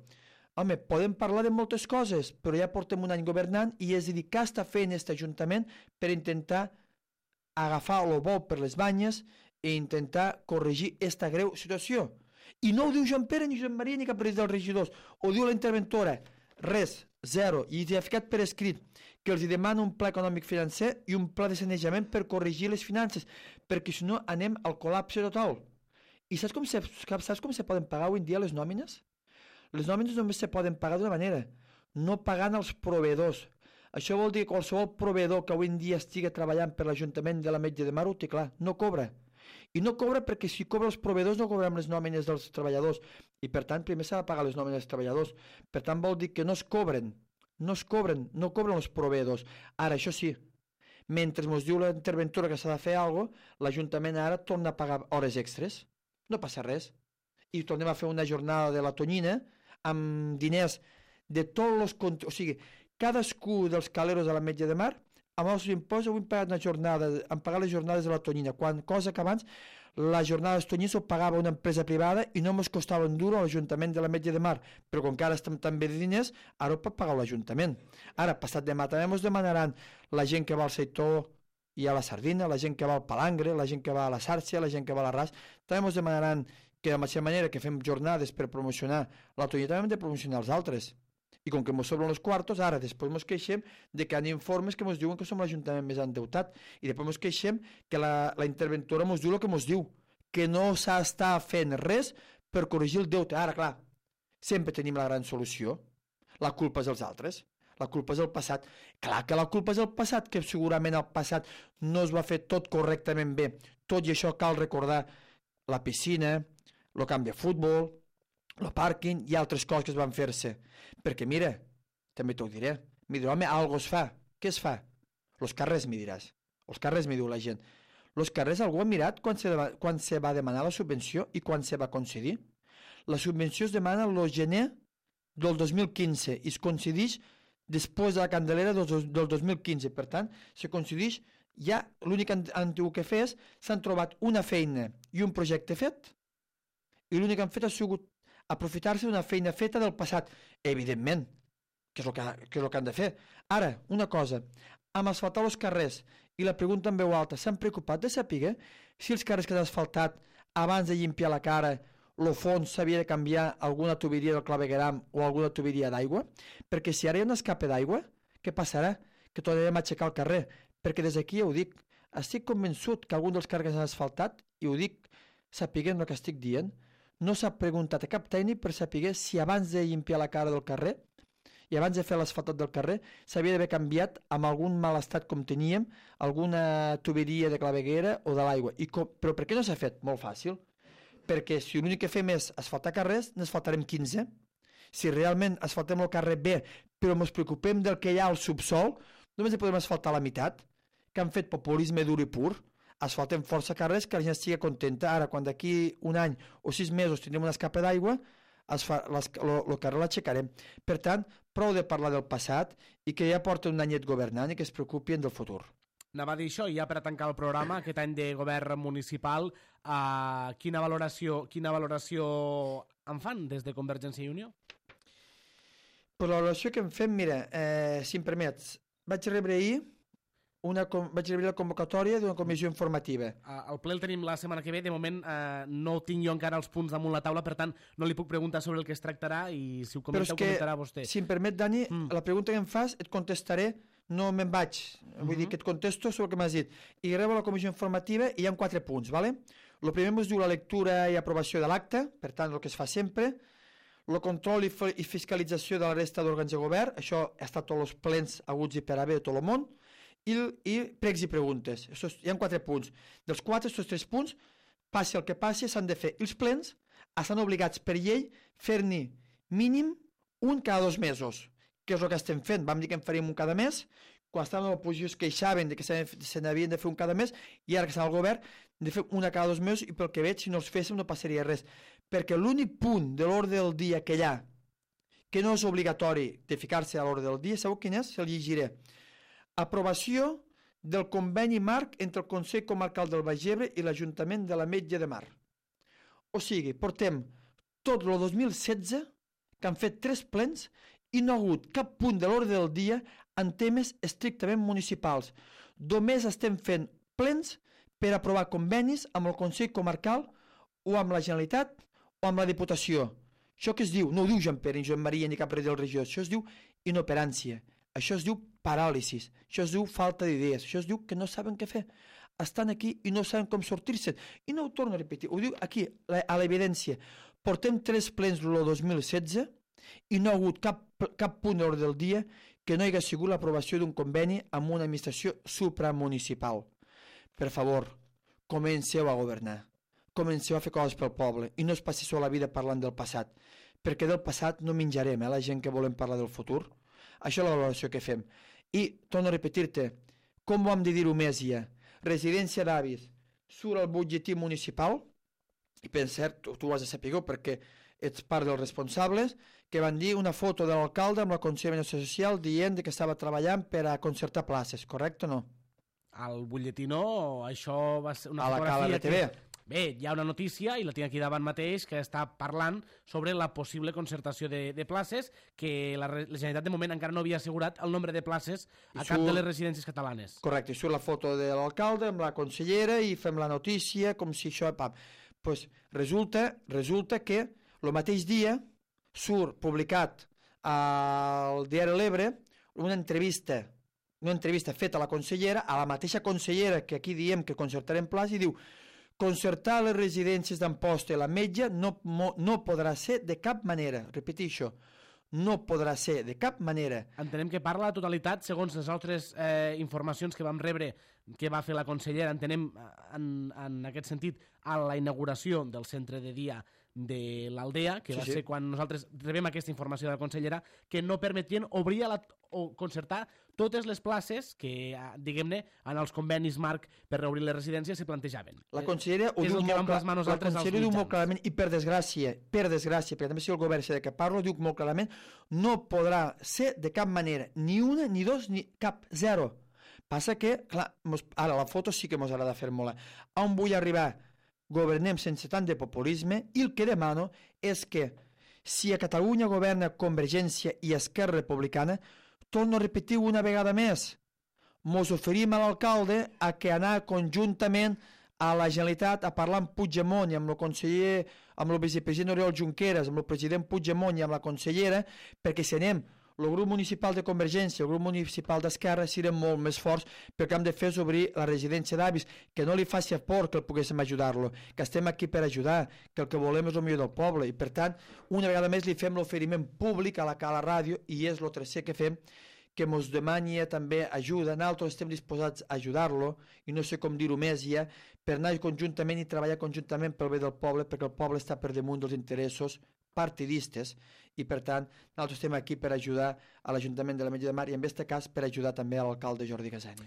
Home, podem parlar de moltes coses, però ja portem un any governant i és a dir, què està fent aquest Ajuntament per intentar agafar el bou per les banyes i intentar corregir aquesta greu situació? I no ho diu Joan Pere, ni Josep Maria, ni cap dels regidors. Ho diu la interventora. Res, zero. I ha ficat per escrit que els demana un pla econòmic financer i un pla de sanejament per corregir les finances, perquè si no anem al col·lapse total. I saps com se, saps com se poden pagar avui en dia les nòmines? Les nòmines només se poden pagar d'una manera, no pagant als proveïdors. Això vol dir que qualsevol proveïdor que avui en dia estigui treballant per l'Ajuntament de l'Ametlla de Mar ho té clar, no cobra. I no cobra perquè si cobra els proveïdors no cobrem les nòmines dels treballadors i per tant primer s'ha de pagar les nòmines dels treballadors. Per tant vol dir que no es cobren, no es cobren, no cobren els proveïdors. Ara, això sí, mentre ens diu la interventora que s'ha de fer alguna cosa, l'Ajuntament ara torna a pagar hores extres. No passa res. I tornem a fer una jornada de la tonyina amb diners de tots els... O sigui, cadascú dels caleros de l'Ametlla de Mar, amb els impostos, avui hem pagat una jornada, hem pagat les jornades de la tonyina, quan, cosa que abans la jornada de tonyina s'ho pagava una empresa privada i no ens costava un duro a l'Ajuntament de l'Ametlla de Mar, però com que ara estem tan bé de diners, ara ho pot pagar l'Ajuntament. Ara, passat demà, també ens demanaran la gent que va al sector i a la sardina, la gent que va al palangre, la gent que va a la sàrcia, la gent que va a l'arràs, també ens demanaran que de la mateixa manera que fem jornades per promocionar la tonyina, també hem de promocionar els altres. I com que ens sobren els quartos, ara després ens queixem de que hi ha informes que ens diuen que som l'Ajuntament més endeutat i després ens queixem que la, la interventora ens diu el que ens diu, que no s'està fent res per corregir el deute. Ara, clar, sempre tenim la gran solució. La culpa és dels altres. La culpa és el passat. Clar que la culpa és el passat, que segurament el passat no es va fer tot correctament bé. Tot i això cal recordar la piscina, el camp de futbol, el pàrquing i altres coses que es van fer-se. Perquè, mira, també t'ho diré, m'hi dirà, home, algo es fa. Què es fa? Los carrers, m'hi diràs. Els carrers, m'hi diu la gent. Los carrers, algú ha mirat quan se, va, quan se va demanar la subvenció i quan se va concedir? La subvenció es demana el gener del dos mil quinze i es concedeix després de la Candelera del, del dos mil quinze. Per tant, se concedeix ja, l'únic que han tingut que fer és s'han trobat una feina i un projecte fet i l'únic que han fet ha sigut aprofitar-se d'una feina feta del passat. Evidentment, que és el que, que és el que han de fer. Ara, una cosa, amb asfaltar els carrers i la pregunta en veu alta, s'han preocupat de saber si els carrers que han asfaltat abans de llimpiar la cara el fons s'havia de canviar alguna tuberia del clavegueram o alguna tuberia d'aigua? Perquè si ara hi ha un escape d'aigua, què passarà? Que tornarem a aixecar el carrer. Perquè des d'aquí ja ho dic, estic convençut que algun dels carrers han asfaltat, i ho dic sapiguent el que estic dient, no s'ha preguntat a cap tècnic per saber si abans de llimpiar la cara del carrer i abans de fer l'asfaltat del carrer s'havia d'haver canviat amb algun mal estat com teníem, alguna tuberia de claveguera o de l'aigua. Però per què no s'ha fet? Molt fàcil. Perquè si l'únic que fem és asfaltar carrers, n'asfaltarem quinze. Si realment asfaltem el carrer bé, però ens preocupem del que hi ha al subsol, només podem asfaltar la meitat, que han fet populisme dur i pur. Asfaltem força carrers que la gent estigui contenta. Ara, quan d'aquí un any o sis mesos tindrem una escapa d'aigua, el carrer l'aixecarem. Per tant, prou de parlar del passat i que ja porta un anyet governant i que es preocupin del futur. Anava a dir això, i ja per a tancar el programa, aquest any de govern municipal, eh, quina valoració quina valoració en fan des de Convergència i Unió? Per la valoració que en fem, mira, eh, si em permets, vaig rebre ahir Una, vaig rebre la convocatòria d'una comissió informativa. El ple el tenim la setmana que ve, de moment eh, no tinc jo encara els punts damunt la taula, per tant no li puc preguntar sobre el que es tractarà i si ho comenta, ho comentarà vostè. Si em permet, Dani, mm. la pregunta que em fas et contestaré, no me'n vaig, vull mm-hmm. dir que et contesto sobre el que m'has dit. I rebo la comissió informativa i hi ha quatre punts, ¿vale? El primer ens diu la lectura i aprovació de l'acte, per tant el que es fa sempre, el control i, i fiscalització de la resta d'òrgans de govern, això ha estat tots els plens aguts i per haver de tot el món, I, i pregs i preguntes. Això, hi ha quatre punts. Dels quatre, aquests tres punts, passi el que passi, s'han de fer. Els plens estan obligats per llei fer-ne mínim un cada dos mesos, que és el que estem fent. Vam dir que en faríem un cada mes, quan estàvem a l'oposició es queixaven de que se n'havien de fer un cada mes, i ara que està al govern, de fer una cada dos mesos, i pel que veig, si no els féssim no passaria res. Perquè l'únic punt de l'ordre del dia que hi ha, que no és obligatori de ficar-se a l'ordre del dia, sabeu quin és? Se'l llegiré. Aprovació del conveni marc entre el Consell Comarcal del Baix Ebre i l'Ajuntament de l'Ametlla de Mar. O sigui, portem tot el dos mil setze que han fet tres plens i no ha hagut cap punt de l'ordre del dia en temes estrictament municipals. Només estem fent plens per aprovar convenis amb el Consell Comarcal o amb la Generalitat o amb la Diputació. Això que es diu, no ho diu Jean Pere, ni Joan Maria, ni cap rei del regió, això es diu inoperància. Això es diu paràlisis, això es diu falta d'idees, això es diu que no saben què fer. Estan aquí i no saben com sortir-se'n. I no ho torno a repetir, ho diu aquí, a l'evidència. Portem tres plens el dos mil setze i no ha hagut cap, cap punt d'ordre del dia que no hi hagués sigut l'aprovació d'un conveni amb una administració supramunicipal. Per favor, comenceu a governar, comenceu a fer coses pel poble i no es passi la vida parlant del passat, perquè del passat no menjarem, eh, la gent que volem parlar del futur. Això és la valoració que fem. I, torno a repetir-te, com ho hem de dir-ho més ja? Residència d'avis surt al butlletí municipal, i per cert, tu, tu ho has de saber perquè ets part dels responsables, que van dir una foto de l'alcalde amb la Consellera Social dient que estava treballant per a concertar places, correcte o no? Al butlletí no, això va ser una a fotografia... A la T V. Que... Bé, hi ha una notícia, i la tinc aquí davant mateix, que està parlant sobre la possible concertació de, de places, que la, la Generalitat de moment encara no havia assegurat el nombre de places a cap de les residències catalanes. Correcte, i surt la foto de l'alcalde amb la consellera i fem la notícia com si això... Pam. Pues resulta, resulta que el mateix dia surt publicat al diari L'Ebre una entrevista, una entrevista feta a la consellera, a la mateixa consellera que aquí diem que concertarem places, i diu: concertar les residències d'Amposta i l'Ametlla no, no podrà ser de cap manera. Repeteixo, no podrà ser de cap manera. Entenem que parla la totalitat, segons les altres eh, informacions que vam rebre que va fer la consellera, entenem en, en aquest sentit a la inauguració del centre de dia de l'Aldea, que Sí, va sí. ser quan nosaltres rebem aquesta informació de la consellera, que no permetien obrir a la, o concertar totes les places que, eh, diguem-ne, en els convenis marc per reobrir les residències se plantejaven. La consellera ho És diu el que vam molt, clar, plasmar la nosaltres als consellera diu molt mitjans. clarament, i per desgràcia, per desgràcia, perquè també si el govern sé de què parlo, diu molt clarament, no podrà ser de cap manera, ni una, ni dos, ni cap, zero. Passa que, clar, mos, ara la foto sí que ens agrada fer molt. On vull arribar? Governem sense tant de populisme i el que demano és que si a Catalunya governa Convergència i Esquerra Republicana, torno a repetir una vegada més, mos oferim a l'alcalde a que anar conjuntament a la Generalitat a parlar amb Puigdemont i amb el conseller, amb el vicepresident Oriol Junqueras, amb el president Puigdemont i amb la consellera, perquè si anem el grup municipal de Convergència, el grup municipal d'Esquerra, serem molt més forts, perquè hem de fer és obrir la residència d'avis, que no li faci por que el poguéssim ajudar-lo, que estem aquí per ajudar, que el que volem és el millor del poble, i per tant, una vegada més li fem l'oferiment públic a la, a la ràdio, i és el tercer que fem, que ens demani també ajuda, nosaltres estem disposats a ajudar-lo, i no sé com dir-ho més ja, per anar conjuntament i treballar conjuntament pel bé del poble, perquè el poble està per damunt dels interessos partidistes, i per tant, nosaltres estem aquí per ajudar a l'Ajuntament de l'Ametlla de Mar i en aquest cas per ajudar també a l'alcalde Jordi Gasani.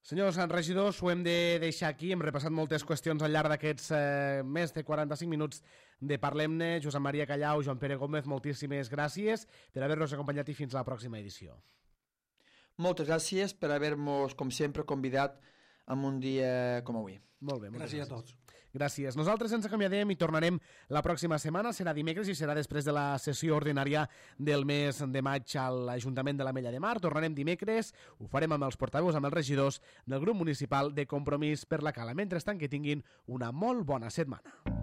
Senyors regidors, ho hem de deixar aquí. Hem repassat moltes qüestions al llarg d'aquests eh, més de quaranta-cinc minuts de Parlem-ne. Josep Maria Callau, Joan Pere Gómez, moltíssimes gràcies per haver-nos acompanyat i fins a la pròxima edició. Moltes gràcies per haver-nos, com sempre, convidat en un dia com avui. Molt bé, moltes Gràcies gràcies. a tots. Gràcies. Nosaltres ens acomiadem i tornarem la pròxima setmana. Serà dimecres i serà després de la sessió ordinària del mes de maig a l'Ajuntament de l'Ametlla de Mar. Tornarem dimecres. Ho farem amb els portaveus, amb els regidors del grup municipal de Compromís per la Cala. Mentrestant, que tinguin una molt bona setmana.